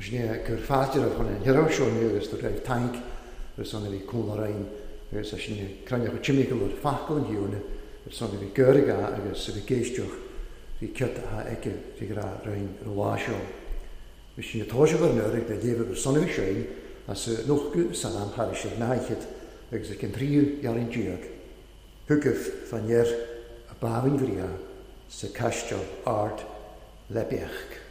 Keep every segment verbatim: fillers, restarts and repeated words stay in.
Sin gur fáidir a chun an hirá seo agus do raibh tank ar son a bhí cúnla agus a sin cranneach timimic ar facail an hiúna ar son a bhí gurga agus a bhí géisteach bhí ceart a aici bhí rá roiinn ar lá seo. Bhí sin atáise ar nuair le léamh ar son a bhí séin as nochú san am thar sé náichead agus a cin tríú jarin díag. Thugah fan dheir a báhain bhria sa caisteal ard lebeach.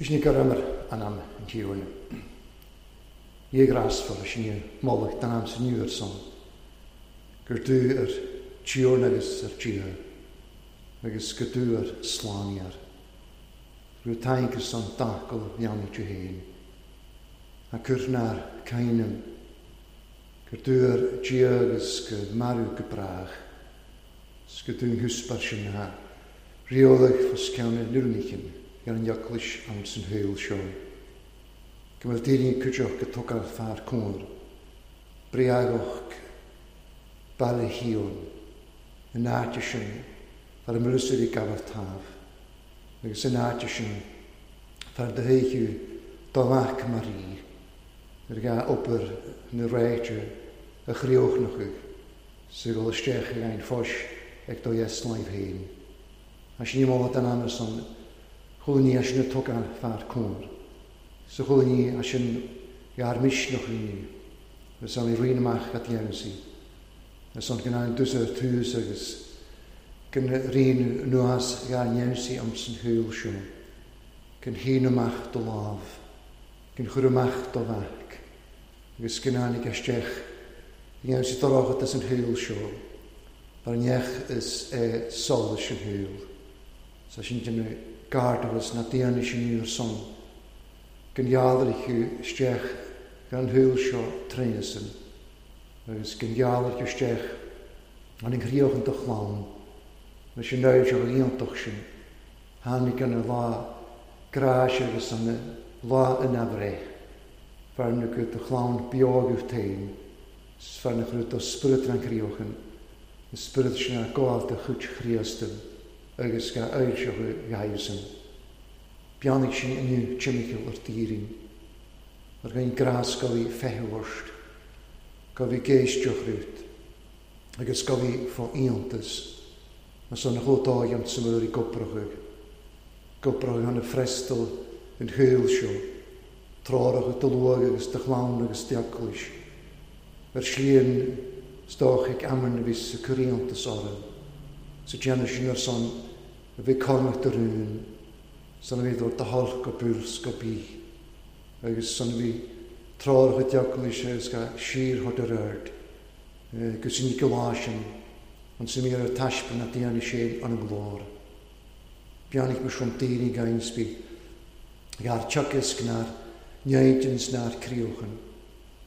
Bhí sin gur an am an tíúna. Dhé grasfar sin molaach den am san nuair son, gur dú ar tíúna agus ar tíú, agus go dú ar slániar. Rú taingur son dacail dheanna tú héin. A chur nar cainim, gur dú ar tíú agus go marú go brach, 's go dún húspar sin na riolach fos ceanna nuanichin. Ar an eaglais am san thuil seo. Go bhfuil daoine cuideach go tugáil fear cóir, breagach baile híon, in áite sin fear an mbrúsar i gabhar támh, agus in áite sin fear do théiú do mhac mar í, ar ga obair na réite a chríochnachadh sa dhul isteach ag ein fós ag do dheas láimh féin. A sin ní den am san chuala ní sin na tugáil fear cóir. Sa chuala ní a sin gar misneach inniu, agus an rion amach at dhéanamh Agus an go an dus ar tús agus gan rion nuas gar dhéanamh am san thuil seo. Gan híon amach do lámh, gan chur amach do mhac, agus go ndáinig isteach i ngeansaí dorcha an shaol seo, mar neach is é solas an shaol. Sa sin déanamh gardachas na daoine sin ar son, go ngealraigh thú isteach gan shaol seo tréasan, agus go ngealraigh thú isteach an chríoch an do chlann, leis an naimhdeach iontach sin, tháinig an lá gráis agus an lá ina bhreith. Fearna go do chlann beo agat féin, is fearna go do spiorad an chríochan, an spiorad sin a gabháil de chuid Chríosta agus ga fhoilseochadh ghaibhsan. Beannaigh sin inniu timcheall ar d'fhírinne, ar ghain grás go bhí feitheamh ort, go bhí géisteach rút, agus go bhí fá iontas, mas an chomh dóigh an tsamhail i gcobrachadh, gobrachadh an frestal an shaol seo, treoracha do luath agus do chlann agus d'eaglais, ar slí an stoch ag amann a bhí sa cur iontas orthu, sa déanamh sin ar son a bhí cormac de rún, san a bhí do holc go buls go bí, agus san a bhí treoracha d'eaglais agus ga síor thart ar aird, go sin go lá sin, an sa mír ar taispeáin na daoine sé an nglór. Beannaigh me sin daoine gain spi, gar teachas gnar, neidins nár críochan,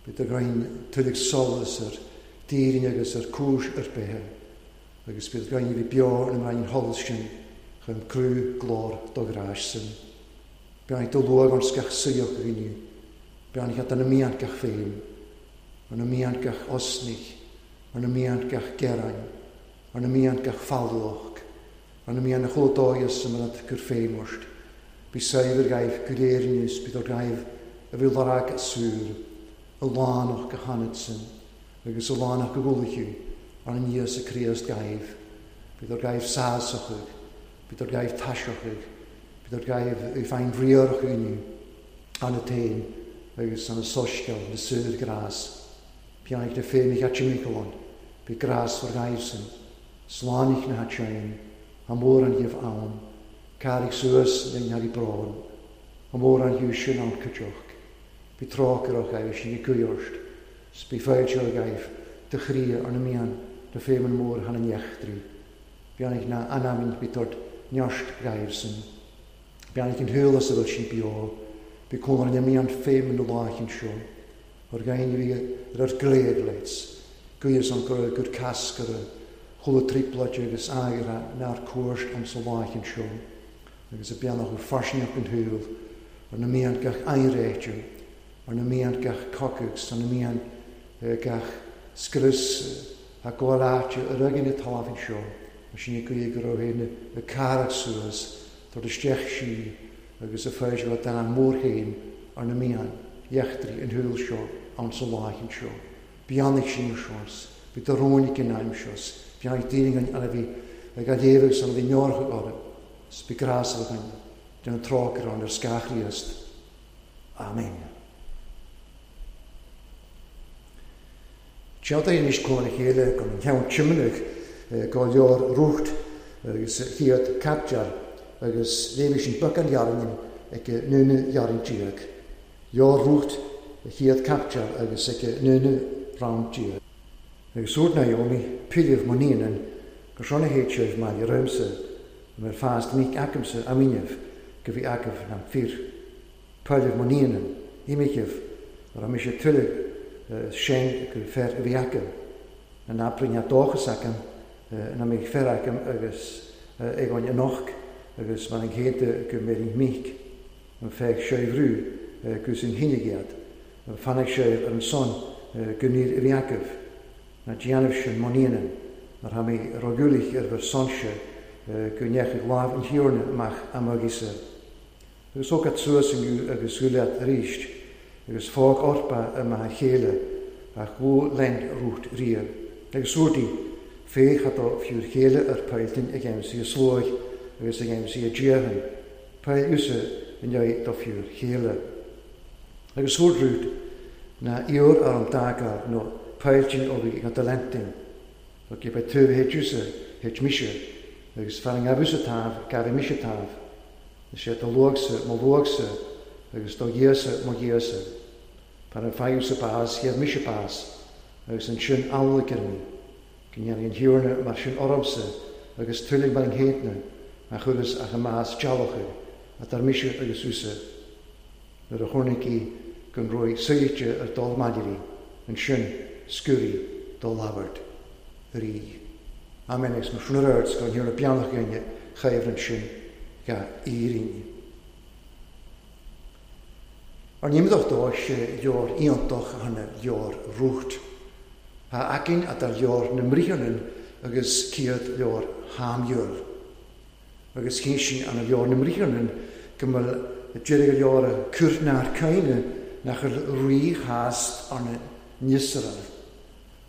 Bhí do gain tuilleadh solas ar daoine agus ar cúis ar bethe, agus bhí gain bhí beo an raon sholas sin chun crú glór do ghráis sin. Beannaigh do luath an sceach suíoch inniu, Beannaigh an na mian gach féin, an na mian gach osnich, an na mian gach gearain, an na mian gach fallach, an na mian a chomh dóigh san mar gur féimorst. Bí saibhir gaibh go léir inniu, bí do gaibh a bhí lorg súr, a lánach go hanad sin, agus a lánach go gcualachu, ar an Íosa Críost gaibh. Bí do gaibh sásachaidh, bí do gaibh taiseachaidh, bí do gaibh i féin riarach inniu, an na tain, agus an na soisceal, na súr grás. Beannaigh na féinich at Michaelon, bí grás for gaibh sin, slánaich na hatsein, a mór an dhibh ann, cairigh suas linn thar i brón, a mór an hiú sin an cuideoch, bí trácarach gaibh sin i gcuiorst, s bí fáilte gaibh de chrí ar na mian de féimeann mór han an eachtraí. Beannaigh na anamín bí tort neost gaibh sin. Beannaigh an thulas a bhfuil sin beo, bí cónar na mian féimeann na láchin seo, ar gain bhí ar ar gléad leits, guíos an gur gur cascar chula tripláid agus agra nár cuairt an sa láchin seo, agus a beannach ó farsneach an thuil, ar na mian gach ainréitiú, ar na mian gach cocags, ar na mian gach scrios a gabháil ar agin na talamh seo, mar sin guí go raibh féin na carach suas, tar isteach sí agus a féidir le dan mór féin ar na mian eachtraí an thuil seo an sa láchin seo. Beannaigh sin ar seans, bí do rónaic in aim seos, beannaigh daoine an a bhí ag a léamh agus an a bhí neorach orthu, s bí grás againn den trácair an ar scáth Chríost. Amen. Teantaí anois cóna chéile go an ceann tiomanaigh go leor rúcht agus chiad captear agus léimh sin beag an ghearrainn ag núna ghearrainn díag. Leor rúcht chiad captear agus ag núna round díag. Agus úr Naomi, pilibh mo níonan, gur sonna héit sibh maille roimse, mar fást míc acamsa a míneamh go bhí agamh nam fir. Pilibh mo níonan, imichibh, ar a mise tuilleadh sin go fer a bhí acam, an abrainn a dóchas acam, na méid fer acam agus ag an anoch agus mar an chéad go méid míc, an feich séimhrú gus an hinne gead, an fannaigh sé ar an son go níl a bhí agamh, na déanamh sin mo níonan, mar tha mé ragúlich ar bhur sonse go ndeachaigh lámh an thiarna amach amagisa. Agus thóg suas inniu agus ghuileat arís, agus fág orpa amach a chéile, ach bhú lend rúcht ria. Agus úrtaí, féach atá fiúr chéile ar pailtin ag aimsí a sluaigh agus ag aimsí a dhéanann, pail usa in aghaidh do fiúr chéile. Agus úr rút na ior ar an dagar nó pailtin ó bhí ag an talentin, Tá cé beidh tuaimh héit usa, héit mise, agus fear an gabhúsa taobh, gabh mise taobh. Is é do luachsa mo luachsa, agus do ghéasa mo ghéasa. Par an ffaigh sa bás, hiad mise bás, agus ansin amhlaidh ar mí, go ndéanfaidh an Thiarna mar sin ormsa agus tuilleadh mar an gcéadna a chuireas ach a mbás dealbhcha a dar mise agus thusa, nuair a chonaic í gon raibh saoirte ar dul maidirí, ansin sciúraí do labhairt rí. Amen agus mar sin ar aird go Thiarna beannach againne chaimhreann sin ga Éirinn. Ar nímdach dó sé leor iontach a hana leor rúcht. Ha aicinn a dar leor na mbriathrainn agus céad leor Shamúéil. Agus cén sin an leor na mbriathrainn go bhfuil deireadh leor a cúirtnear caine nach bhfuil rí-chást arna n-Iosrael.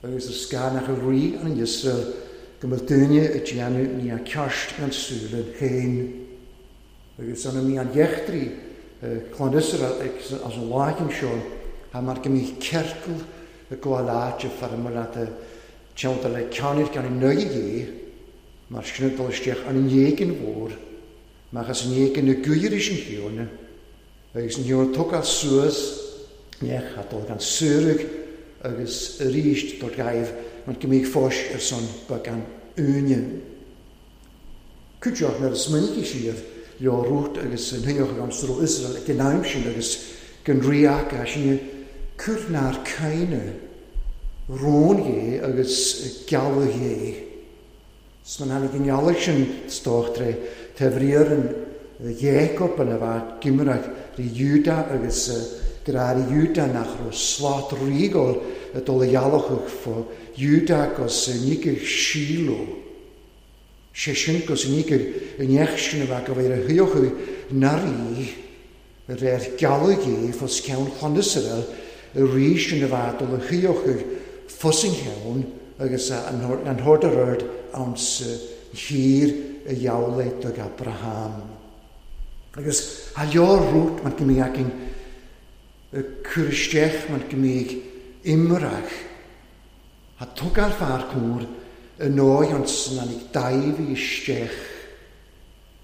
Agus is gá nach bhfuil rí an Iosrael go bhfuil duine a déanamh ní a ceart an súile féin. Agus anna mí an dheachtraí clann Iosrael as an láigean seo, ha mar go mbíodh ciorcal i gcomhair áite fara mar leat teannta le ceannair gan an nuige dhé, mar sin dul isteach an éigin mhór, mar as an éigin na gcuiris an Thiarna, agus an Thiarna tógáil suas nech a dul gan suaraigh agus arís dul gaibh an go mbíodh fóis ar son beag an úine. Cuideoidh nuair a smaoinigh siad leo rút agus an thuíoch an sró Israel ag an am sin agus gan rí aca sin cúirtnear caine rón dhé agus gealladh dhé. 'S man tháinig an ghealach sin stóchtré taobh an Jacob an a bheith gimreach rí Júda agus grárí Júda nach raibh slát rígáil a dul a ghealachach fá Júda agus níceadh Síló. Sé sin gus níceadh an neach sin a bheith go bhfuil a thuíochadh na rí réir gealladh dhé fós ceann chlann Iosrael a rí sin a bheith dul a thuíochadh fós an cheann agus an hord a rud ann sa thír a gheall do Abraham. Agus a leor rút mar go mbíodh againn cur isteach mar go mbíodh imreach. A tugáil fear cór i ndóigh an snánig daimh isteach,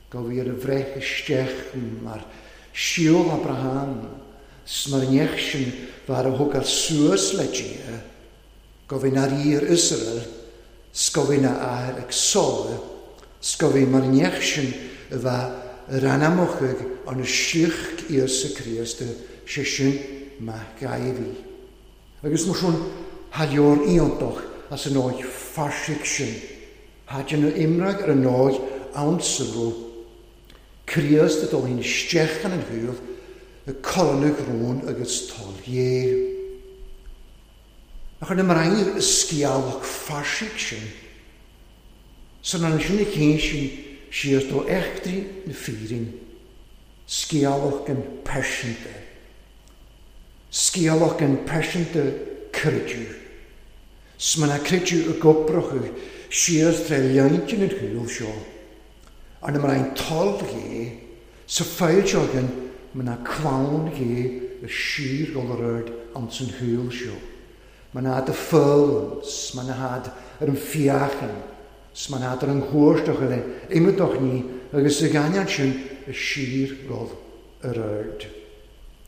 go bhí ar a bhreith isteach mar síol Abraham, 's mar an neach sin bhar a thógáil suas le Dia, go bhí na rí ar Iosrael, 's go bhí na athair ag Sól, 's go bhí mar an neach sin a bheith ar anamachadh an síoch Íosa Críost, sé sin mac Dháibhí. Agus mar sin, ha leor iontach as an áit fairsigh sin. Ha déanamh imreach ar an áit ann sa raibh Críost a dul in isteach an an y colanach rón agus toil dhé. Ach ar na marain scialach fairsigh sin, san an sin na cén sin siar do echtraí na fírin, scialach an pearsanta, scialach an pearsanta creidiú. 'S man a creidiú i gcoprachadh siar tré leintinn an chúil seo, ar na marain toil dhé, sa fáilteogan man a clann dhé y sír gol ar ard an san chúil seo. Man a de ffyl, man a had ar an fiachan, man a had ar an chwrstoch le imedoch ni, agus y ganian sin y sír gol ar ard.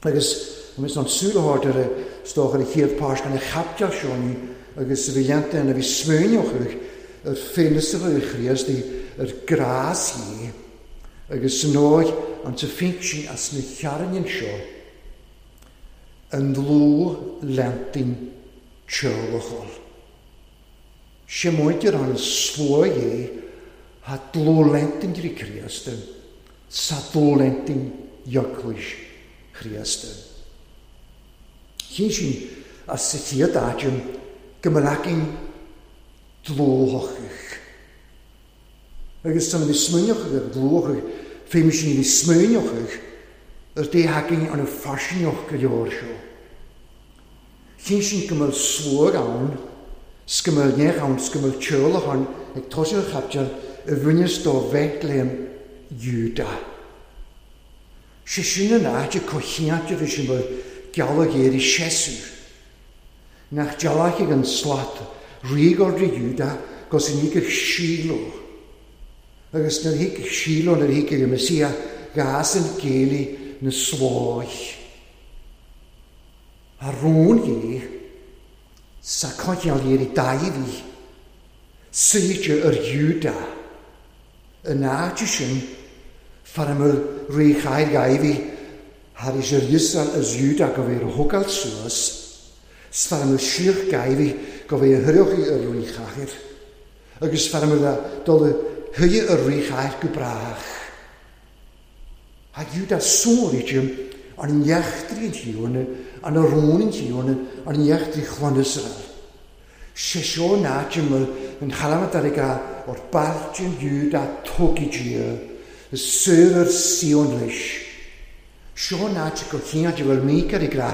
Agus agus an súil a ar y stoch ar y chéad páis gan y chapteal seo ni, agus y bhí a bhí smaoineochadh yr ffenestr y Chríost yr gras hi, agus yn oed an ta sin as na chearnain seo, yn ddlw lentyn teolachol. Sé móidir an sló é ha dlw lentyn drí Chríost, sa dlw lentyn ioclwys Chríost. Chyn sin as sa chéad áitim go mba dlóthachach. Agus san bhí smaoineochadh ar dlóthachach, féim sin bhí smaoineochadh ar dé hacking an faisineoch go leor seo. Chyn sin go mbeadh slóg ann, 's go mbeadh neach ann, 's go mbeadh teolach ann ag tosú an chapteal i bhfuinneas do Bheitléim Iúda. Sé sin an áit a cochiante bhí sin bhfuil gealladh éirí séasúr. Nach dealach ag an slat rígóir Iúda gus an ígach Síló. Agus nuair hígach Síló nuair hígach y Messia gas an géili na slóich. A rún Dhé sa coinneáil iarraidh Dáiví, suite ar Iúdá. An áit sin, fara mbeadh rí Chathair Dháiví thar éis ar Iosrael as Iúdá go bhféadh a thógáil suas, 's fara mbeadh sliocht Dháiví go bhféadh a thuilleadh ar rí Chathair, agus fara mbeadh a dul a thuilleadh ar rí Chathair go brách. Tá Iúdá sonraithe an neachtraí an Tiarna, an rún an Tiarna, an neachtraí chlann Iosrael. Sé seo an áit a bhfuil an chalamant ar ag or bailte Iúdá tógfaidh Dia, is saor ar Síón leis. Seo an áit go chéad a bhfuil Míce ag rá,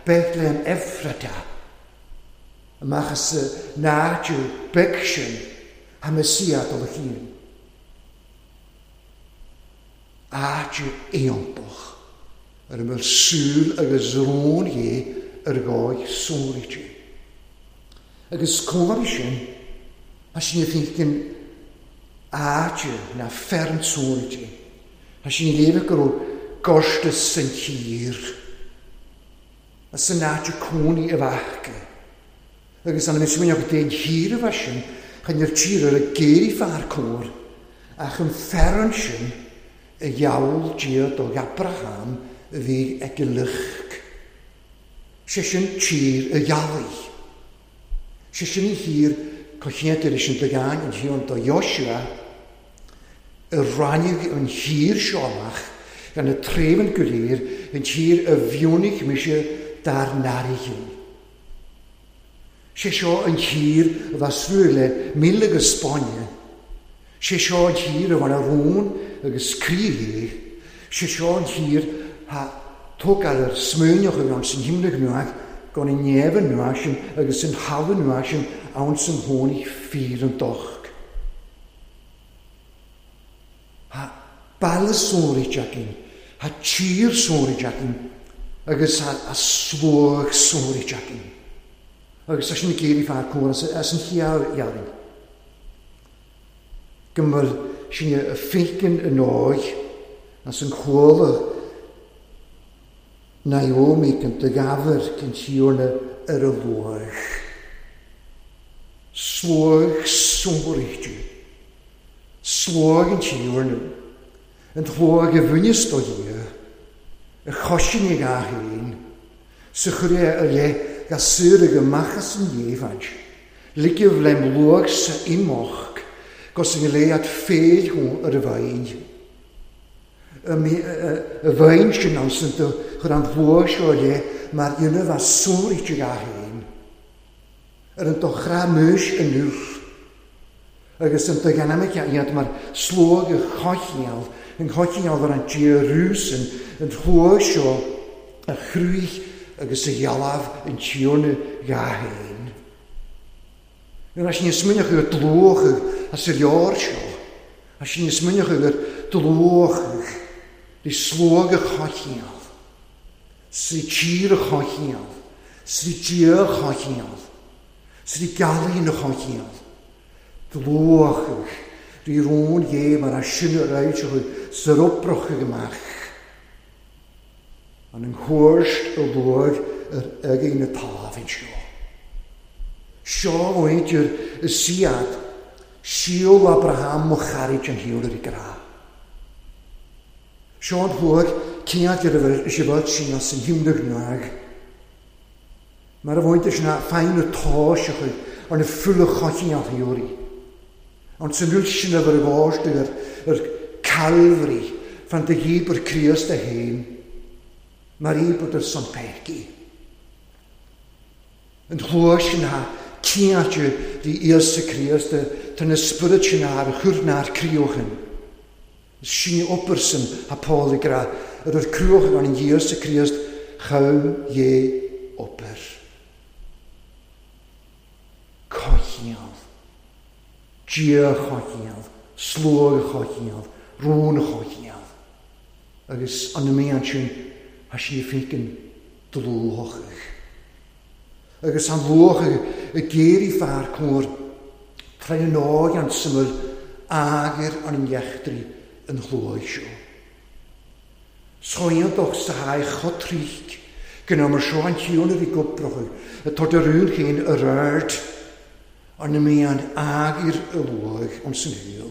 Bethlehem Ephrata. Amach as an áit beag sin, tá Mesia dul a chian. Áit iontach ar a bhfuil súil agus rún Dhé ar dhóigh sonraithe. Agus comhartha sin, tá sin féin áit na fearann sonraithe. Tá sin léamh go raibh gorta san tír, as an áit cónaí a bheadh. Agus an smaoineach den thír a bheith sin, chun ar tír ar a géirí fear cóir, ach an fearann sin a gheall Dia do Abraham a bhí ag a lucht. Sé sin tír a ghealaigh. Sé sin an thír coitianta leis an Dagán an tír do Joshua a ráinig an thír seo amach gan na tréimh go léir an tír a bhionnaigh mise dár n-airghin. Sé seo an tír a bheith srúr le míle agus Spáinne. Sé seo an tír a bhain a rún agus croí. Sé seo an tír a tógáil ar smaoineach an san himnach nuach gan an neamh nuach sin agus an thalamh nuach sin ann san tháinig fíor an docht. Tá baile sonraithe againn, tá tír sonraithe againn, agus tá a sluag sonraithe againn. Agus tá sin ag éirí fear cóir as an chiall dhearfainn. Go bhfuil sin a féiceann an óig as an chuala Naomi can do gabhar can tíorna ar a luach. Sluag sonraithe. Sluag an tíorna. An tsluag a bhaineas do Dhia, a choisin ag a fhéin, sa chur é a leith ga saor ag amach as an dhéimhaid. Ligeamh lem luach sa imeacht, gus an léad féil thú ar a bhain. A bhain sin ansan do chur an luach seo le mar dhéanamh a sonraithe ag a fhéin. Ar an do chrá múis inniu. Agus an do dhéanamh iad mar sluag a choinneáil, an choinneáil ar an Dia rúsan, an luach seo a chrúich agus a ghealbh an Tiarna dhá fhéin. Nuair a sin smaoineach ar dlúch as ar leor seo, a sin smaoineach ar dlúch de sluag a choinneáil, sa tír a choinneáil, sa Dia a choinneáil, sa gealaín a choinneáil. Dlúch rí rún Dhé mar a sin a raibh sa oprach amach. An an chuairt a luach ar againn na tábhainn seo. Seo mhuintir is siad síol Abraham mo chairid an shaol ar a grá. Seo an luach céad ar a bhfuil is a bhfuil sin as an himnach nuaig. Mar a mhuintir sin a feidhm na táiseacha ar na fulla choinneáil shaoraí. An san rud sin a bhur bháiste ar ar Calvary fan de dhíobr Críost a fhéin, mar íobr ar son pecaí. An chluas sin a ciáte rí Íosa Críost tá na spiorad sin ar chur nár críochan. Sin obair san a Paul ag rá ar ar cruachan an Íosa Críost chum dhé obair. Coinneáil. Dia choinneáil, sluag choinneáil, rún choinneáil. Agus an mí sin a sin féiceann dlúthach. Agus an luach a géirí fear cóir trína nóg an syml agur an neachtraí an chlóig seo. Sóiantoch sa haghaidh chotríc Gynna mar seo an tíúna bhí goprocha, a tá de rún chéin a rud an na mí an agir a luach an san héal.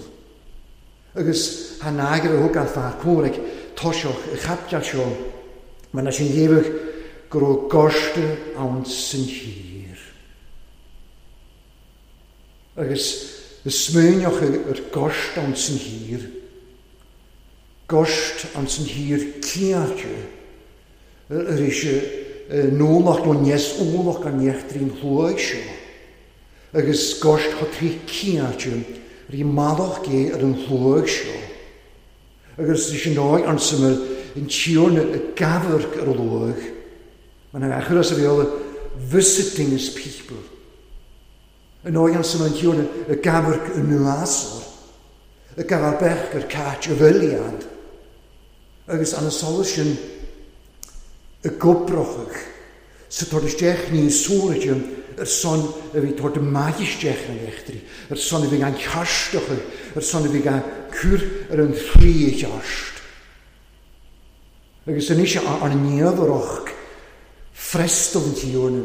Agus han agir a thug an fear córaigh toiseach a chapteal seo, mar na sin dhéabhadh go raibh gorta ann san thír. Agus y smaoineach ar gorta ann san thír, gorta ann san thír ciáte, ar éis nólach nó níos ólach an neachtrín shluaigh seo, agus gorta tha trí ciáte rí malach gé ar an shluaigh seo. Agus is an dóigh an samhail an tíorna a gabharc ar a luaigh, mar na achar as a bhéal visiting his people. An dóigh an samhail an tíorna a gabharc an nuasor, a gabhar bech ar cait a bhiliad. Agus an solas sin a goprochach sa tor isteach ní sóraide ar son a bhí tor de maigisteach an echtri, ar son a bhí gan cearstocha, ar son a bhí gan cur ar an thrí chearst. Agus anois an néamharach frestal an tíorna,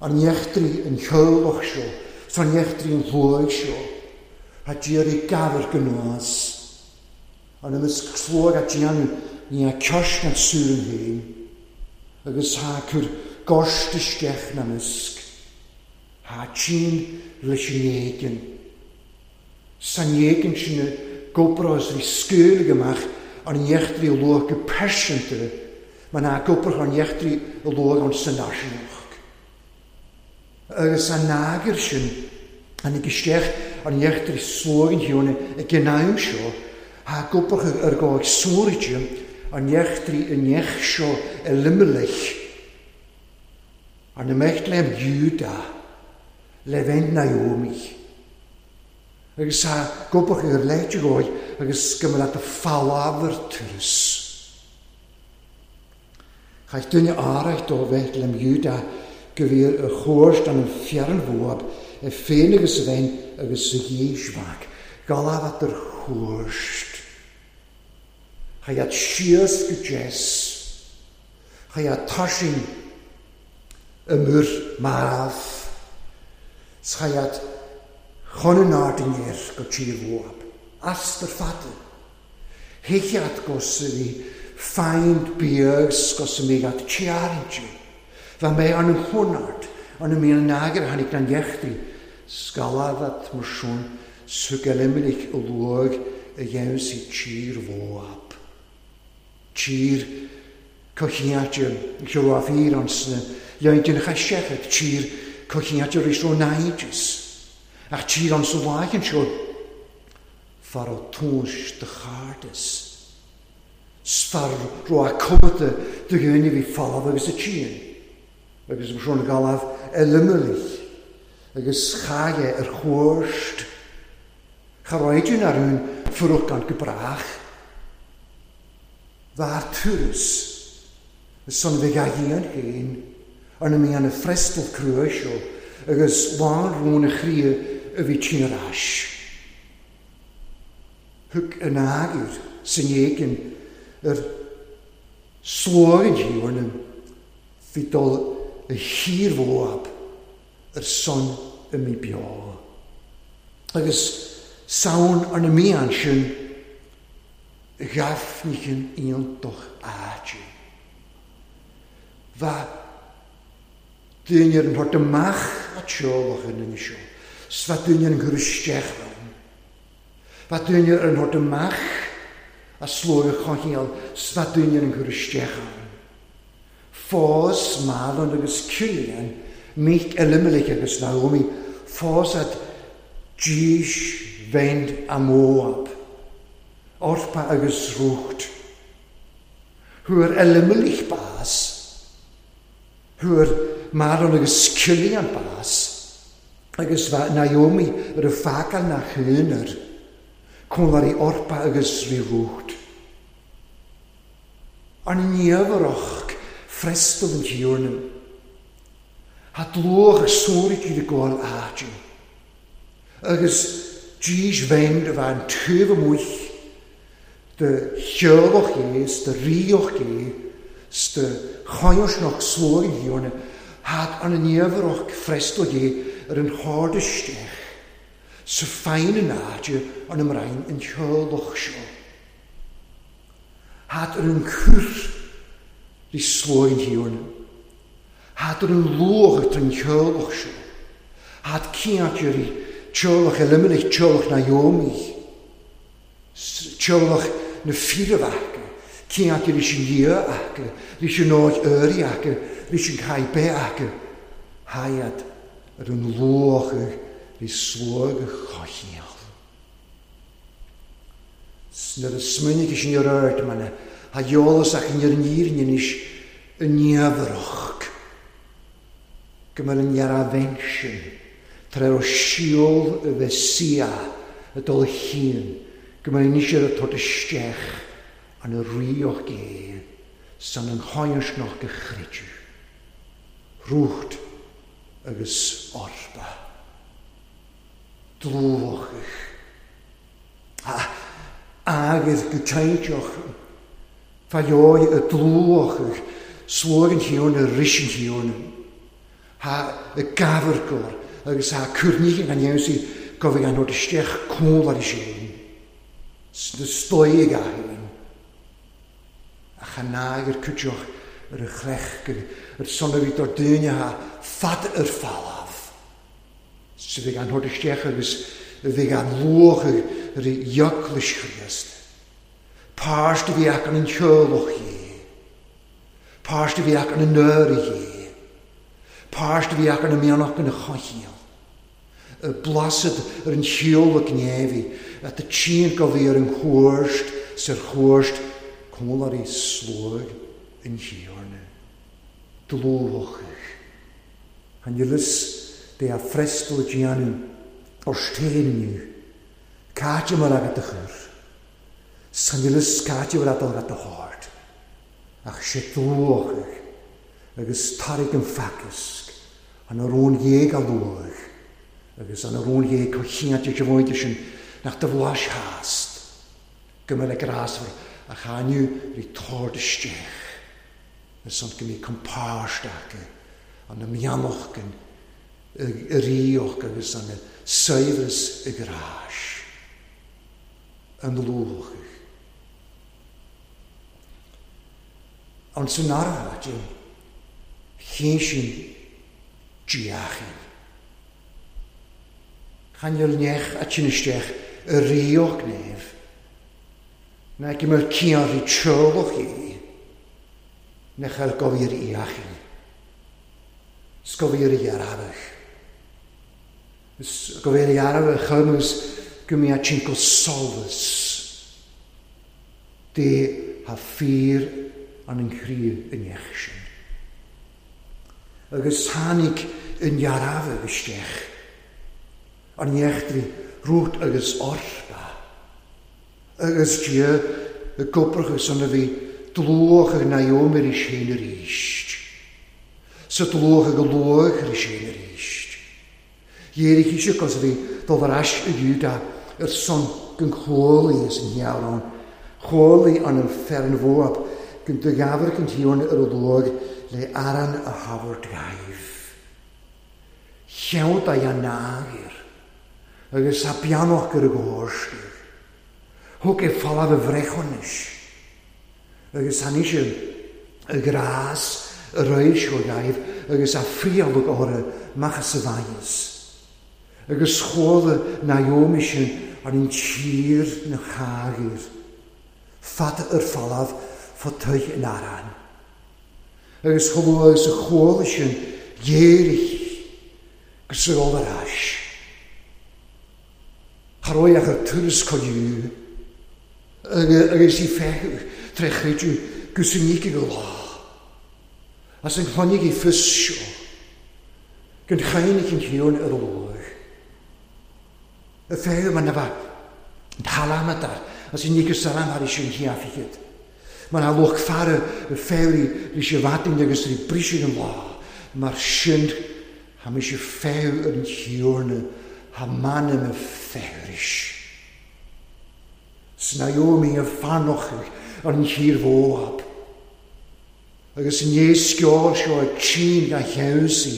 an echtri an cheolach seo, san echtri an shluaigh seo, ha d'iarraidh gabhar gnás. An imeasc sluaigh a déanamh ní a cearst an súr an féin, agus ha cur gorst isteach na misc, ha tsin leis an éigin. San éigin sin na goprás rí scaoileadh amach an echtri a luach go pearsanta, mar ná goprach an echtri a luach an san náisiúnach. Agus an nágir sin, an ag isteach an echtri sluaigh an hiúna ag an am seo, ha goprach ar gáig sóraide an echtri an each seo a limelich, an imeacht le Júda le bheith Naomi. Agus ha goprach ar leite gáig agus go mbeadh leat a falábhar turas. Chaith duine áireach dó bheith le Júda go bhí a chóirst an fearnmhóab a féin agus a bheith agus a dhéismhac. Galábhat ar chóirst. Chaith síos go deas. Chaith taising y mwr maf. Chaith chun an ardinnéir go tír mhóab. Astar fada. Heichiad gos a bhí feind beags gos a méid at tearinte. Bha mé an an chonart, an an míon nágir tháinig an dheachtaí, scalábhat mar sin sug eliminic a luaigh a dhéanamh tír mhóab. Tír cochiáte cheoláfír an sna leint an chaseachat, tír cochiáte rís ó náideas. Ach tír an sa láichan seo, far ó túis de chardas. Sfar ro a cumata de ghuine bhí falamh agus a tían. Agus mar sin galamh elimelich, agus chaige ar chóirst. Cha raidin ar un furuch gan gebrach. Bhar turas, son bheith a dhéan féin, ar na mí an a frestal crua seo, agus lán rón a chría a bhí tín ar ais. Thug an ágir san éigin ar sluaigh an bhí dul a thír mhóab ar son a mí beo. Agus saon ar na mían sin ghaifnichin iontach áite. Bha duine ar an thort amach a teolach in inne seo, 's bha duine ar an chur isteach ann. Bha duine ar an thort amach a sluaigh a choinneáil, 's bha duine ar an chur isteach ann. Fós Mahlon agus Cillian, Mic Elimelech agus Naomi, fós at dís bhend a Moab, Orpa agus Rúcht. Thuair Elimelech bás, thuair Mahlon agus Cillian bás, agus bha Naomi ar a fágáil na chuanar, cónlarí Orpa agus rí Rúcht. An néamharach frestal an tíorna. Ha dlúach a sóraidh iad a gcóil áite. Agus dís bhend a bheith an tuamh amuigh de cheolach é, de ríoch é, Sta choios noch slóg an Thiarna, had an niamhrach freastal Dé ar an hard isteach, sa féin an áide an ymrain an teolach seo. Had ar an chur rí slóg an Thiarna, had ar an luach an teolach seo, had ciant rí teolach Elimelech, teolach Naomi, teolach na fíormhacha, ciant rí sin Dhia acu, rí sin áit uirí acu, rí sin caibé acu, haiad ar an luach rí slóg a choicheall. Nuair a smuinigh sin ar ard mana, ha eolas ach ar an fhírinne anois i niamhrach, go mbeadh an dhearmhein sin tar éis síol a bheith sia a dul a chian, go mbeadh anois ar a tabhairt isteach an a ríoch gé san an choinsneach go chreidiú, Rút agus Orpa, dlúthach, agus go teintioch, fa joy y dlúthach, slóg an Thiarna, ris an Thiarna, ha y gafrgor, agus ha cwrnig an iawsi, gofig an hod isteach cwl ar i sin, sna stoig a hyn, a chanag yr cwtioch yr y chlech, yr sonaf o'r dyn ha fad yr falaf. Sydd gan hod isteach agus fe gan lwch yr ioglis Christ. Páist a bhí ac an teolach hi. Páist a bhí ac an nöri hi. Páist a bhí ac an mianach yn y chochiel. Y blasad yr yn teolach nefi, at y tîn gofi yr yn chwrst, sy'r chwrst, cwmwl i slwg yn Thiarna. Dlwch. Han ylys de a frestl y gianw o'r stein Cáte mar agat a chur. San ylys cáte mar adal agat a hard. Ach sé dlwch. Agus tarig yn ffacysg. An yr o'n ieg a lwch. Agus an yr o'n ieg cochiant i gyfoed sin nach dy flas hast. Gymryd y grasfwr a chaniw rí tord isteach. Ar son go mí compáist acu, an na mianach gan y ríoch agus an na saibhreas y gráis. An lwch. Ond sy'n araf, chyn sy'n diachin. Chan nech a tyn isteach y ríoch nef. Na gymryd cian rí trolwch i. Nech ar gofir iachin. Sgofir i arafach. Sgofir i arafach chymwys gymryd a tyn solfus. De ha ffyr an yn chri yn iechsin. Agus tháinig yn iarafach isteach. An iechtri rút agus orpa. Agus dia y gobrachus an a bhí dlwch ag Naomi ar sin ar íst. Sa dlwch ag y lwch ar sin ar íst. Dhéirigh eisiau cos a bhí dul ar ais y Iúda ar son gan chólaí as an ghearán. Chólaí an an fearn Mhoab gan dy gafr gan tíorn ar y lwg le aran a hafod gaif. Llewd a ianagir agus a bianoch gyda górstyr. Hwg e falaf y frechonis. Agus han eisiau y gras, y reis o gaif, agus a ffrialwg o'r machas y faes. Agus chôl y Naomi sin ar un tir na chagir. Fad yr falaf, ffod yn aran. Agus chôl agus y chôl sin dhéirich, agus yr ôl ar ais. Charoi ach yr turas coiw, agus i ffew, trechreidw, gwrs yn nig go lá. As yn chlonig i ffys sio, gan chainig yn hiwn yr olwg. Y ffew yma na fa, yn tala am adar, as yn nig salam ar eisiau hiafigyd. Mae'n alwch ffar y ffew i eisiau fadyn agus i brisio yn lá. Mae'r synd, ham eisiau ffew yn hiwn, ha man am y ffewris. Snaiomi y fanoch yn hir Foab. Agus in éasceol seo ag tsin gan cheansaí,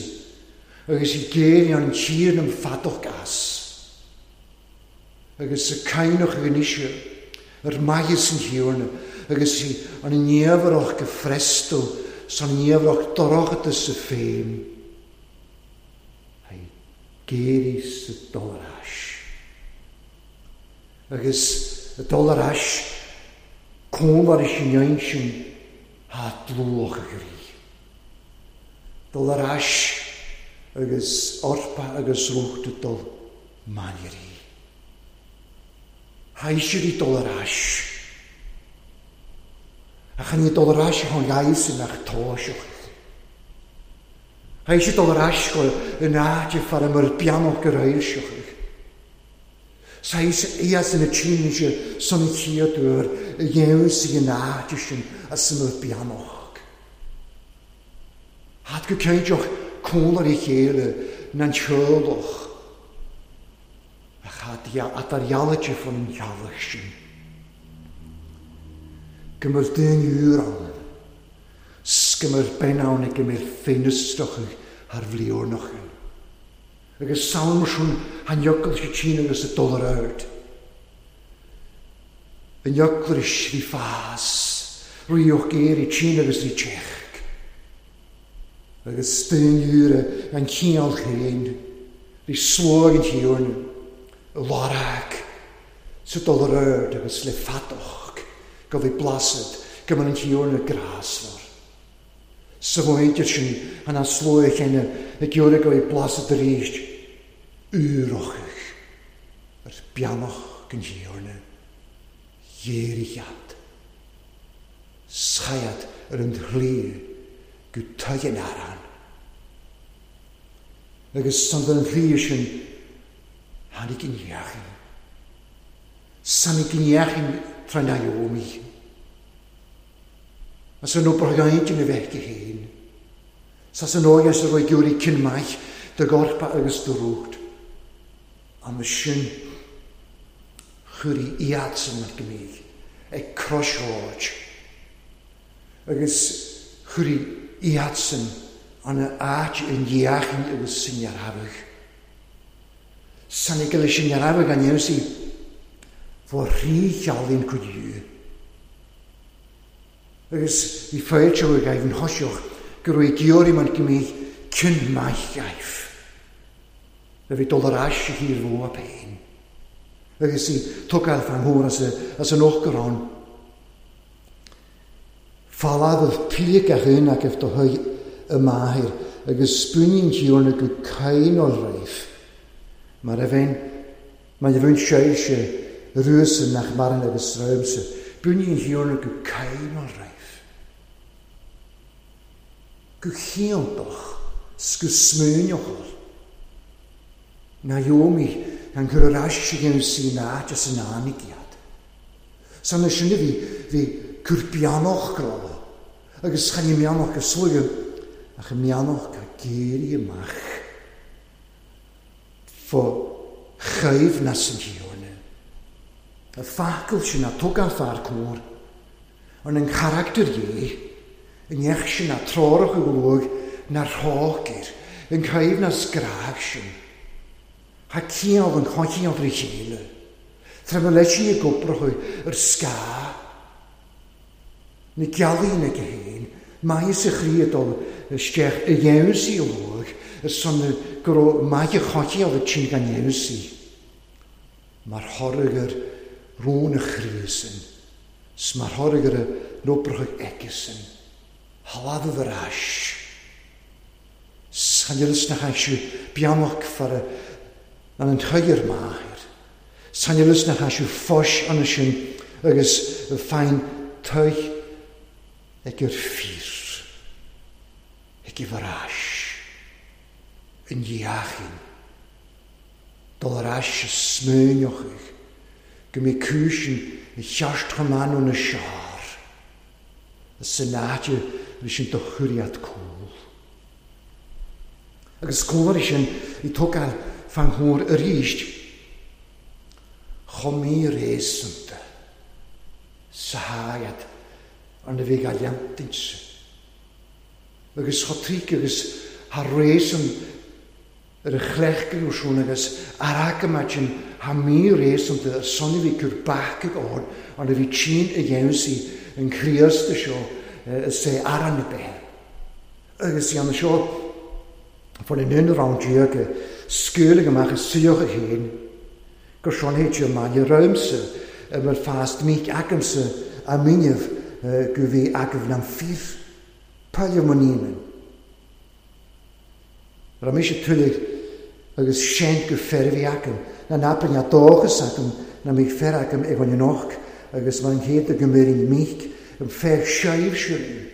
agus i géirí an tír nam fadach gas. Agus sa caineach ag anisio, ar maigis an thiarna, agus i an néamharach go fresto, san néamharach dorachta sa féim. Hai géirí sa dul ar ais. Agus y dul ar ais, cómar is an sin ha dlúach a grí. Dul ar ais agus orpa agus rúcht dul manirí. Haisirí dul ar ais. Ach chan i dul ar ais hon gaisin ach tóiseach. Haisi dul ar ais go yn áit far am yr bianach gur éilseach. Sais ias yn y tînse son y chéadúr y dhéus i an áit sin as an yr bianach. Had go céideach cólar i chéile na'n teolach. Ach had at ar jallaide fan an cheallach sin. Gymyr dyn yw'r ann. Sgymyr benawn ag gymyr ffeinistrach ar fliornach. Agus salm sin han iocail si tîn agus y dul ar ard. An iocail is rí fás, ríoch géir i tîn agus rí teach. Agus dyn yw'r an cíal chéin, rí slóg an tíorn, y larag, sa dul ar ard agus le fadach, go bhí blasad, go an tíorn y grasfar. Sa bhhaintir sin an an slói chéine ag geoir go bhí blasad arís úrochach ar beannach gan tíorna dhéirichead. Saiad ar an chlí go tuigean arán. Agus san an chlí sin tháinig an dheachin. Sannig an dheachin tra Naomi. As an obair gaintinn a bheith go héin. Sas an óige sa roi giúirí cin maith de gorpa agus de rúcht. An sin chuirí iadsan mar gomídh ag crossroad. Agus chuirí iadsan an áit an dheachin agus sin dhearabhadh. Sannig leis an dhearabhadh an dhéansaí fá rí cheallaíonn cuid dú. Agus bhí féilte ag aibh an thoiseach go raibh geoirí mar gomídh cin maith gaibh. A bhí dul ar ais a thír mhó a péin. Agus í tugáil fan thór as, as an ochgarán. Fáladh píoc a dhuine agaibh do thuig y maithir agus spúinín tíorna go cain o'r raibh. Mar a bhein, mar a bhain séise rúsa nach maran agus ráimse, bunín tíorna go cain o'r raibh. Go chéantach, sgu smúneachal. Naomi an chur ar ais a dhéanamh sí áit as an ánigiad. San na sin bhí bhí cur beannach grá, agus chan i meannach go slúige, ach i meannach go géirí amach. Fá chaimhneas an tíorna. A facail sin a tugann fear cóir, an an charachtar dhé, an neach sin a trárach a ghlóg na'r rhágir, an chaimhneas grág sin. Ha cíal an choicíal trí chéile. Tra ma leis i gobrachu ar sca. Na gealaí na go héin, maith sa chrí dul isteach i dhéansaí a lóg, ar son go raibh maith a choicíal a tsin gan dhéansaí. Mar thoradh ar rón a chrí sin, 's mar thoradh ar a nóbracha aici sin, haladh ar ais. San nach aisiú beannach far an an chuir maithir. San nach aisiú fos an sin agus féin tuig ag gur fír, ag i ar ais, yn dheachin, dul ar ais y smúneochaidh, go mé cúisin i cheart chamánú na seár, a san áite leis sin do churiad cúl. Agus cóir sin i tógáil fan thór arís, chomh mí réasúnta sa háiad an a bhí ga leantaint. Agus chotric agus ha résan ar a chlechgan siún agus aracamatin ha mí résan de sonna bhí cur bac ag ord an a bhí tín a dhéansaí an Chríosta seo sé aran na bethe. Agus i an seo fan in un rang diag scuilig amach is suíoch a héin gur sean héit maille roimse a bhfuil fast míc agamsa a míneamh go bhí agaibh nam fír paile mo níman. Ra mise tulig agus seint go fer bhí agam na napan a dóchas agam na míc fer agam ag an noch agus mar an chéad go méirín míc an fer seibh siúin.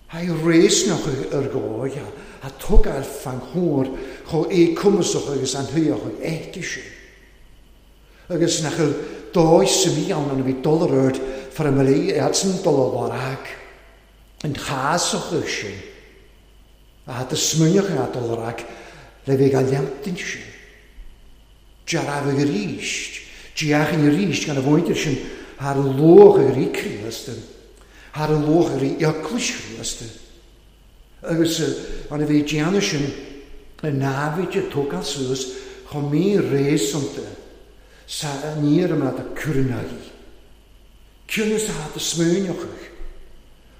Hy réisnoch ar gáig a tugáil fan chóir cho é cumasach agus an thuach ag eite sin. Agus nach dóigh sa mí ann an a bhí dul ar ard far a mlí eadsan dul a ag an chásach sin. A had y smwynioch a dul ar ag le bheith a leantain sin. Dearabh ag ríst, deachan ríst gan a bhaintir sin thar an luach ag rí Críosta, thar an luach ag rí eaglais Chríosta. Agus an a bhí déanamh sin a námhaid a tógáil suas chomh mí réasúnta sa níor am a cúrnaí. Ciúnas a had y smwynioch.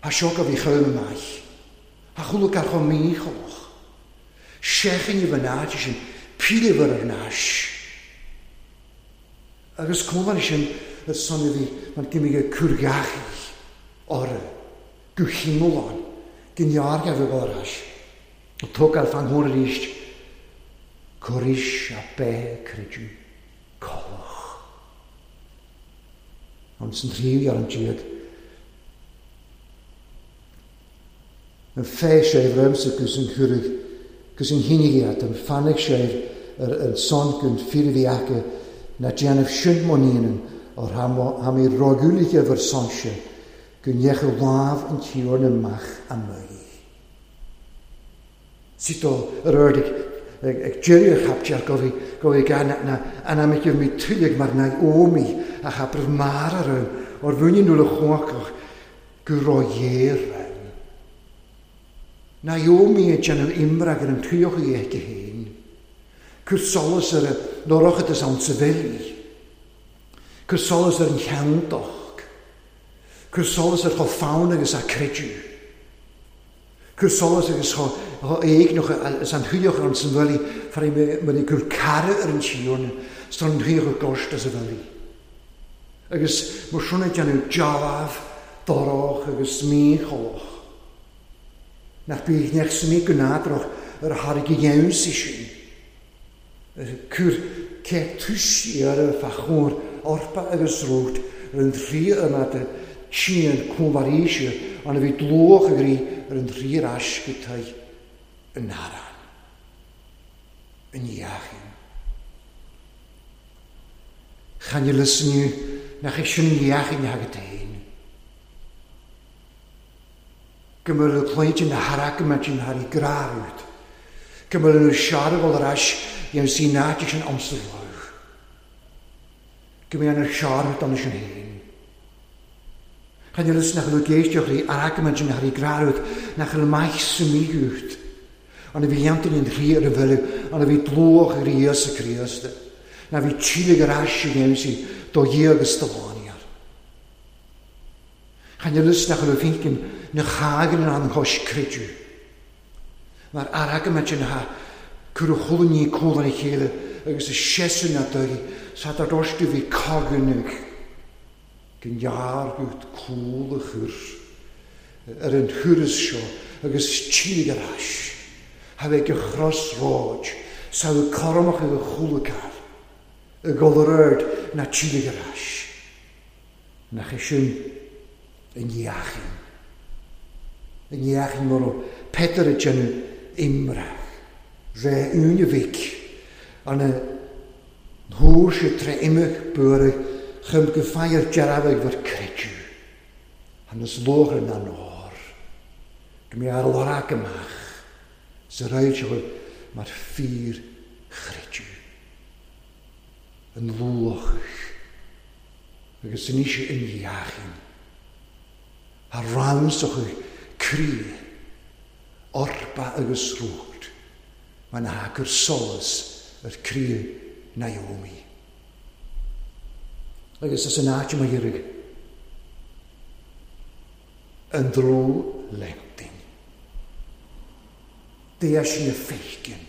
Ha seo go bhí chomh maith. Ha chulach ar chomh mícholach. Seachan i bhnáid sin píleabhar ar náis. Agus cómhan sin ar son a bhí mar gimig a cúrgachaí orra go chimúlán gin a bheith ar ais. Tógáil fan chóir arís cuiris a bheith creidiú colach. An san tríú ar an diag. An fé sé roimse gus an churig gus an hinnigiad an fannig sé ar an son gun fír bhí aca na déanamh sin mo níonan ar ha mé rágúlige bhar son sé go ndeacha lámh an tíorna amach a mhaí. Sito ar ard ag ag deireadh chaptear go bhí go bhí gan na anamic mí tuilig mar na ómi a chapraibh mar ar ann ar bhuine nuair a chócach go raibh ann. Na ómi a déanamh imreag ar an tuíoch i aici féin. Cur solas ar a norachtas ann sa bhilí. Cur solas ar an cheanntach. Cur solas ar chomh fonn agus a creidiú. Cur solas agus chomh éigneach is an thuíoch an san bhilí far mar i cur cara ar an tíorna is an thuíoch gost as a bhilí. Agus mar sin déanamh dealbh, dorach agus mícholach. Nach bí neach sa mí go nádrach ar a thairg i dhéansaí sin. Cur cé tuisí ar a fa chóir orpa agus rót ar an trí amad a tían cómharíse an a bhí dlóch ag rí ar an trí ais go taigh an arán. An dheachin. Chan lysniú nach é sin an dheachin agat féin. Go mbeadh le cloíte na haracamaidin thar i grárút. Go mbeadh le searbhal ar ais dhéanamh sí náite sin amsa lámh. Go mbeadh an searbhal an sin féin. Chan lys nach bhfuil géisteach rí aracamaidin thar i grárút nach bhfuil maith sa mígúcht. An a bhí dhéantain an trí ar a bhile, an a bhí dlóch ar Íosa Críosta. Na bhí tílig ar ais a dhéanamh sí do Dhia agus do lániar. Chan lys nach bhfuil finkin na chagan an chois creidiú. Mar aracamaidin ha cur a chulaní cólan a chéile agus a sesan na dóigh sa dar doistu bhí coganach gin dheargút cúl a chur ar an thuras seo agus tílig ar ais. Ha bheith go chros-ráid sa bhfuil cormach ag a chúlacar a gol ar ard na tílig ar ais. Nach é sin an dheachin. An dheachin mar ó Peter a déanamh imreach. Ré úine bhic an a thuair sé tre imach buarach chum go feidh dearabh bhar creidiú. An is lóchar na nór. Go mbeadh ar lorg amach sa raibh sé mar fíor chreidiú. An luach agus san ise an dheachin. A ramsach croí Orpa agus Rút, mar ná gur solas ar croí Naomi. Agus as an áit mo iarraidh an dlúth-leantain. Dé sin a féiceann.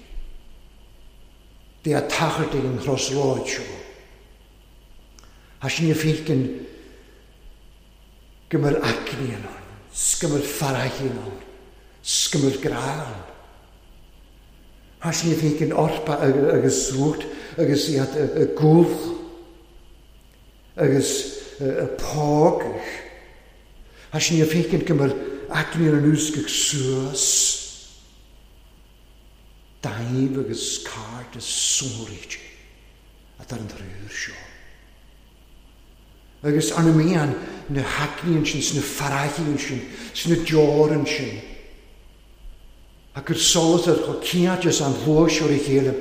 Dé a tachairt ag an chrosráid seo. Tá sin a féiceann go mbeadh aicní ann, 's go mbeadh farraige ann, 's go mbeadh grá ann. Tá sin a féiceann Orpa agus Rút agus iad ag gol agus ag pógadh. Tá sin a féiceann go mbeadh aicní ar anuas go suas. Daimh agus cairde sonraíte atá ar an triúr seo. Agus arna mian na haicní ansin, sna farraigí ansin, sna deora ansin. Ach gur solas ar chomh cinnte is an shlua seo ar a chéile,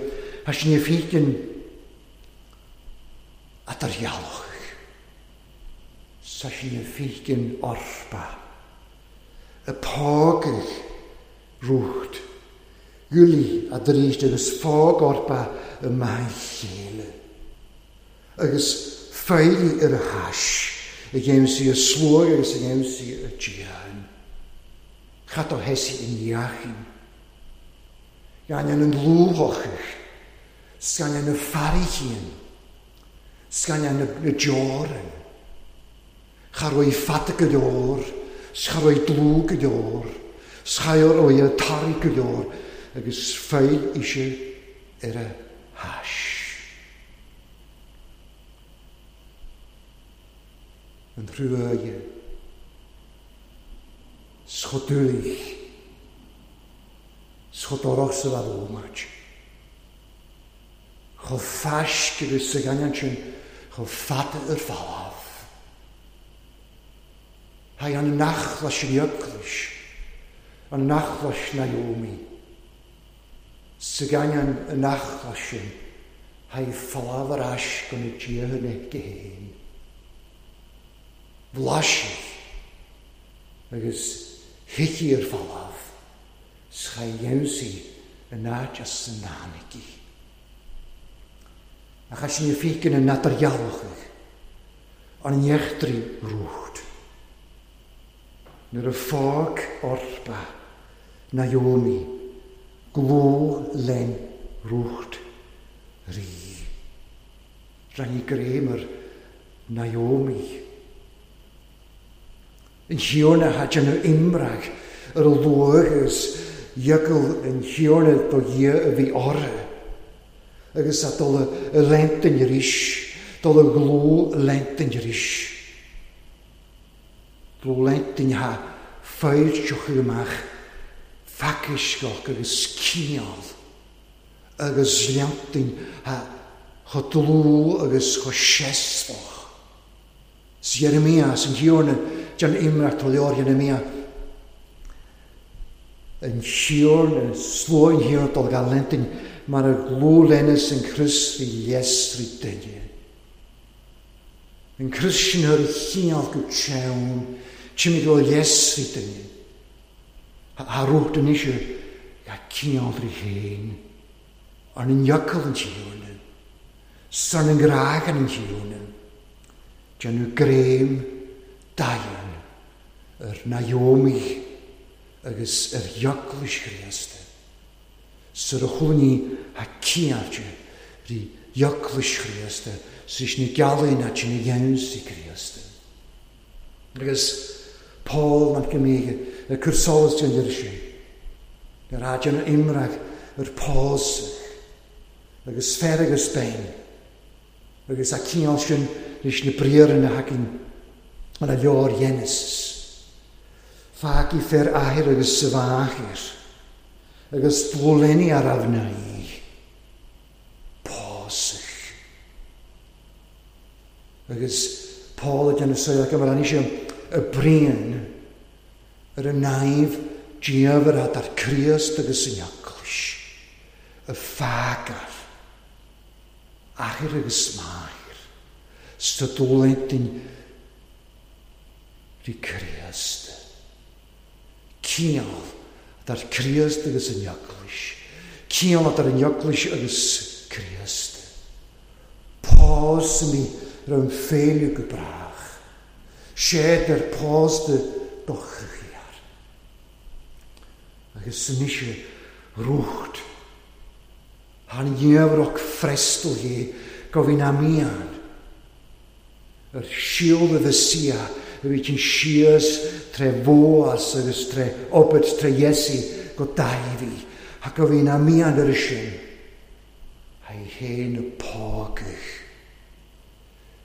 tá sin a féiceann atá ar ghealach. Tá sin a féiceann Orpa, ag pógadh Rút, Ghualaigh a dríst agus fág Orpa i maith chéile. Agus feidhligh ar a hais a dhéanamh sí a sluaigh agus a dhéanamh sí a dian. Cad ó heisi in dheachain. Gan an dlúthachach, 's gan na farraigín, 's gan na deorann. Cha raibh fada go leor, 's cha raibh dlúth go leor, 's cha raibh tarraing go leor, agus feil ise ar a hais. An truaighe, 's chomh dúlaigh, 's chomh dorach sa bhómait. Chomh faisc agus sa ghainneán sin, chomh fada ar falamh. Tá an nachlas sin eaglais, an nachlas Naomi. Sa ghainneán an nachlas sin, tá falamh ar ais go na dtíortha na géin. Bhlaisigh agus thiocfaidh ar falamh, 's cha dhéanfaí an áit as san tháinig í. Ach as sin a féiceann an eadar-ghealachadh, an neachtraí Rút. Nuair a fág Orpa Naomi gló len Rút rí. Rinne greim ar Naomi. An Thiarna ha déanamh imreach ar a luach agus eagal an Thiarna do Dhia a bhí orthu. Agus a dul a leantain arís, dul a ghló leantain arís. Dul leantain ha feilteochaidh amach facaisceach agus cineál agus leantain ha chomh dlúth agus chomh seasmhach. 'S Jeremia, an Thiarna, déan imreacht ó leor Jeremia. An Thiarna, slua an Thiarna dul gan leantain mar a ghló lenas an crios rí leasrí duine. An crios sin ar a chineál go teann, timid ó leasrí duine. Ha Rút anois ga cineál rí féin, ar an eagal an Thiarna, 's ar an ngrá an Thiarna, déanamh greim daighean ar Naomi agus ar eaglais Chríosta. Sar a chulainn ha ciáilte rí eaglais Chríosta, 's is na gealaí ná sin a dhéanamh Críosta. Agus Paul mac Gimíge ag cur solas den deireadh sin. Ar a déanamh imreach ar pósadh agus fear agus bean. Agus a cineál sin leis na briathra na thacainn ar a leor Genesis. Fágfaidh fear athair agus sa mháthair, agus dlúthleanaí ar a mhnaoi. Pósadh. Agus Paul ag déanamh saol go mar anois y brian ar y naif diafar ar Críost agus yn eaglais, y ffagar, athair agus máthair, 's dúlentinn rí Críost. Cineál Dar Críost agus an Eaglais. Ciall dar an Eaglais agus Críost. Pás mi raibh an féile go brách. Sé ar pás de dochriar. Agus anois rúcht. Han dhéabhrach frestal dhé go bhí na mian. Ar siúl a Mhesia a bhí sin síos tré Bhóas agus tré Obed tré Iesu go Dáibhí. Ha go bhí na mian ar sin. Ha i héin y págach.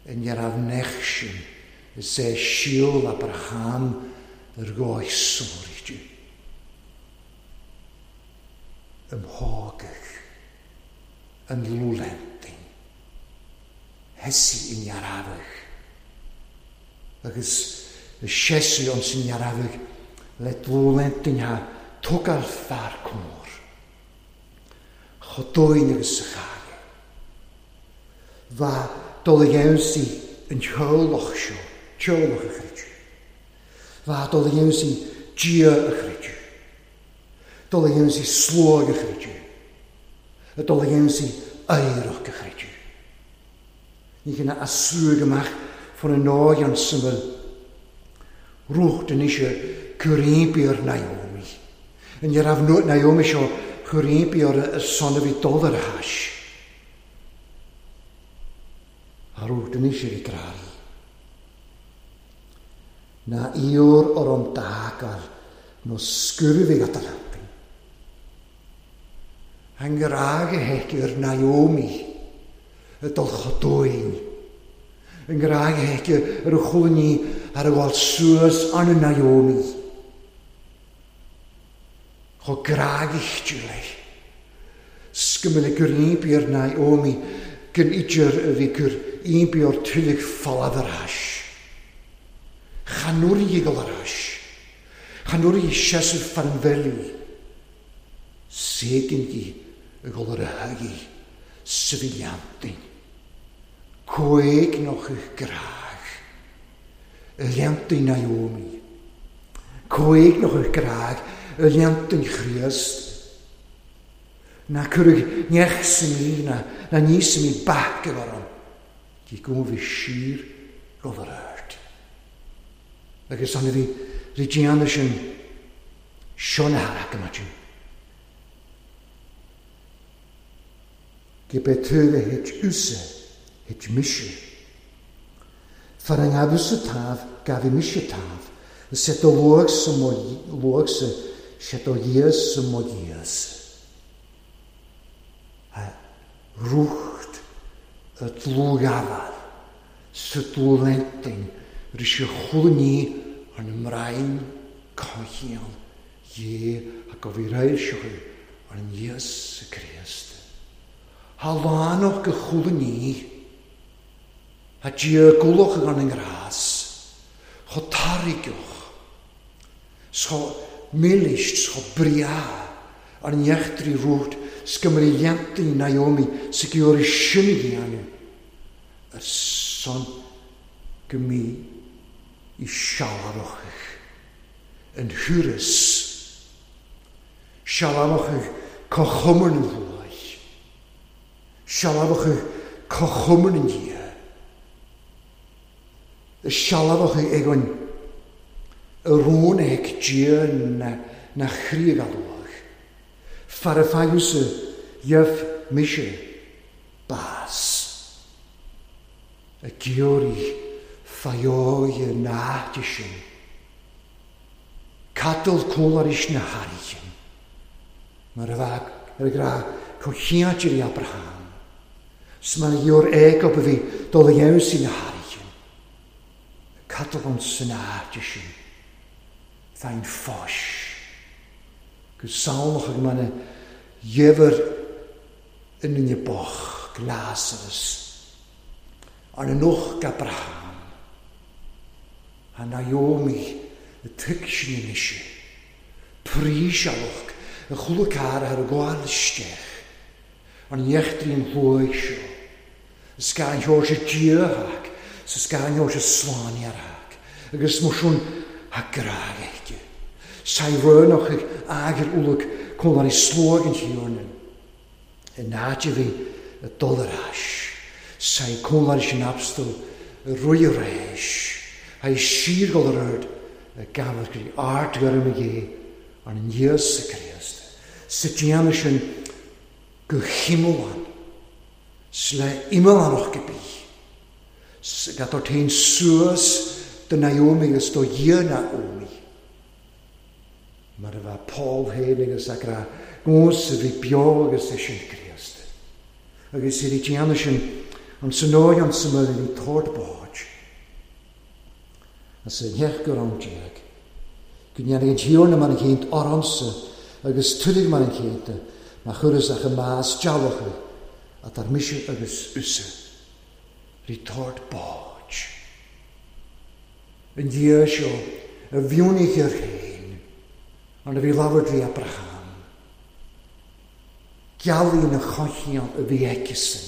Yn iaraf nech sin. Is é siúl Abraham ar gcóis sóiríte. Ym hágach. Yn lwlentin. Hesi yn iarafach. Agus y siesu ond sy'n iarafach le dlwlentin ha tugal far cwmwr. Chodóin agus sa chage. Fa dul i yn teolach seo, teolach y chreidw. Fa dul i dia y chreidw. Dul i slwag y chreidw. Y dul i aerach y chreidw. Ní gyna asrwg ymach ffôn y noi an syml. Rwch dyn eisiau cwrympi o'r Naomi. Yn yr afnwt Naomi sio cwrympi o'r y son o fi dod ar hash. A rwch dyn eisiau i graru. Na iwr o'r om dagal no sgwrfi gadalantin. Angraag y hec i'r Naomi y dolchodwy'n. Angraag y hec i'r chwlni ar y wal sŵs an y Naomi. Cho graag i'ch jwle. Sgymel y gwrnib i'r Naomi gyn idyr y fi gwr un bi o'r tylig ffalad yr ash. Chanwri i gol yr ash. Chanwri i siasw ffanfeli. Segyn gi y gol yr hygi syfiliantin. Coeg noch eich graag. Y liantin Naomi. Coeg noch eich graag. Y liantin Christ. Na cwrwg niech sy'n mi, na, na ni sy'n mi bac efo'r. Gi gwm fi sir gol yr ört. Agus anna fi rigian sin sion harag yma jyn. Gi be tŵr het use, het misio. Farangafus y taf, gafi misio taf. Y set o lwg sy mo lwg sy, set o ies sy mo ies. A rwcht y dlwgafal, sy dlwlentyn, rysio chwlni yn ymraen cochion, ie ac o fi rair sioch yn Iesu Christ. Ha lanoch gychwlni, ha dia gwlwch yn yng ngras, cho tarigwch, scho milisht, scho bria, ar niechtri rwyd, sgymru iantu Naomi, sy'n synig i anw, yr son gymi i sialarwch yn hwyrus, sialarwch cochwmwn yn ddwy, sialarwch cochwmwn yn dia, y sialarwch egon y rôn eg dia na, na chrig alwch, ffaraffagus y ief misio bas, y giori ffaioi y na disyn. Cadol cwlar is na harigyn. Mae'r fag yr gra cochiad i Abraham. Sma'n iwr ego byddi dol iawn sy'n na harigyn. Cadol ond sy'n na disyn. Thain ffos. Gwsalwch ag mae'n iefr yn yn y boch Lazarus. Ond yn uwch Abraham. A Naomi y tygsin yn eisiau. Prisialwch y chwlwc ar ar y gwael ystech. Ond iechtri'n hlwy sio. Y sgan hios y diahag. Y sgan hios y slani ar hag. Agus mwsiwn ha graag eich. Sai rönach ager uluk kon dan is slogan hiornen. En naatje vi dolarash. Sai kon dan is napstel roiresh. Hij siergolrud gaver kri art garmige an Jesus Christ. Sitjanischen gehimmelan. Sle immelan nog gebi. Gat dort heen suas de Naomi is do je Naomi. Maar er was Paul heilige sakra gos vi biogus is in Christ. Agus i tjanischen an synoion symud i tort boj. As yn hech gur an diag. Gwnian ag hiorna man yn ceint oronsa agus tudig man yn ceint ma chwrys ach y maas jalwch a dar misio agus usa. Ri tort boj. Yn dia sio y fiwnig i'r hen ond y fi lawr dri Abraham. Gialun y chochion y fi egisyn.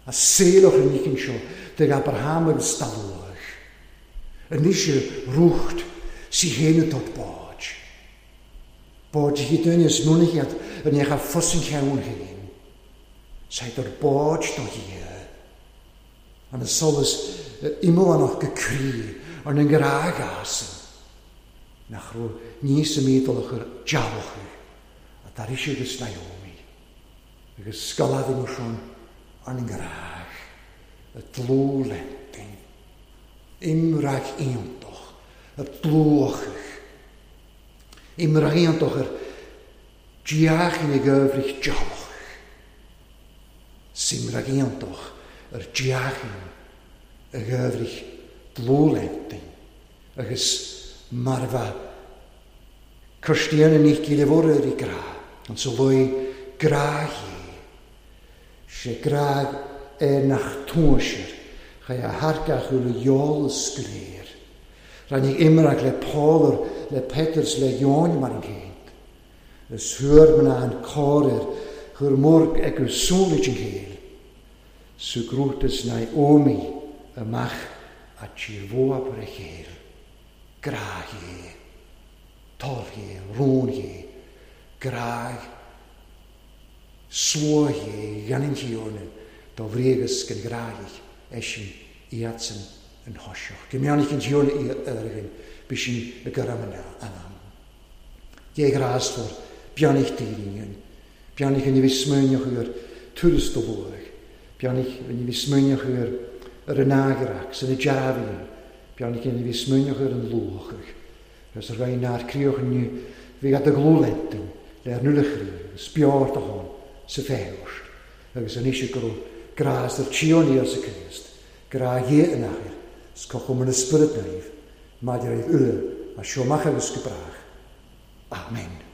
A seilwch yn nicyn sio dyg Abraham yn stalwch. Yn eisiau rwcht sy hen y dod bod. Bod i dynes mwnigiad yn eich a ffos yn cewn hen. Sa'i dod bod do hi. An y solus ymwyl anoch gycri ond yn gyraag asyn. Nach rw nis y meddwl o'ch yr jalwch. A dar eisiau gys Naomi. Agus sgolad yn wrthon ond yn gyraag. Y dlw lentyn. Imrag iontoch. Y dlwch. Imrag iontoch yr diach yn y gyfrich jalwch. Simrag iontoch yr diach yn y gyfrich dlw lentyn. Agus marfa Christian yn eich gilydd o'r i gra. Ond so lwy gra hi. Se gra e nach tŵsir. Chai a hargach yw'r iol ysgrir. Rhaid ni imrag le Paul le Peters le Ion mar yn ceint. Ys hwyr myna yn corir, hwyr mwr ag yw sŵn yn cael. Sw grwtys Naomi ymach a tirfoa per y cheil. Gra hi, tol hi, rŵn hi, graag, swo hi, gan yn hiorn, do friegus gan graag eisiau i atsen yn hosioch. Gymion yn hiorn i ergyn, bysyn y gyram yna anam. Ge grasfor, bianig dýrin, bianig yn i fi smynioch i'r twrist o fwg, bianig yn i fi smynioch i'r yr ynagrac, sy'n y jafin, bianig yn i fi smynioch i'r yn lwch. Ys yr rhain na'r crioch yn ni fi gad y glwlentyn, le'r nwlychri, sbior dy hon, sy ffewr. Agus yn eisiau gwrw gras yr tion i os y Christ, gra ie yn achir, scochwm yn ysbryd naif, madir eich yle, a siomach agus gybrach. Amen.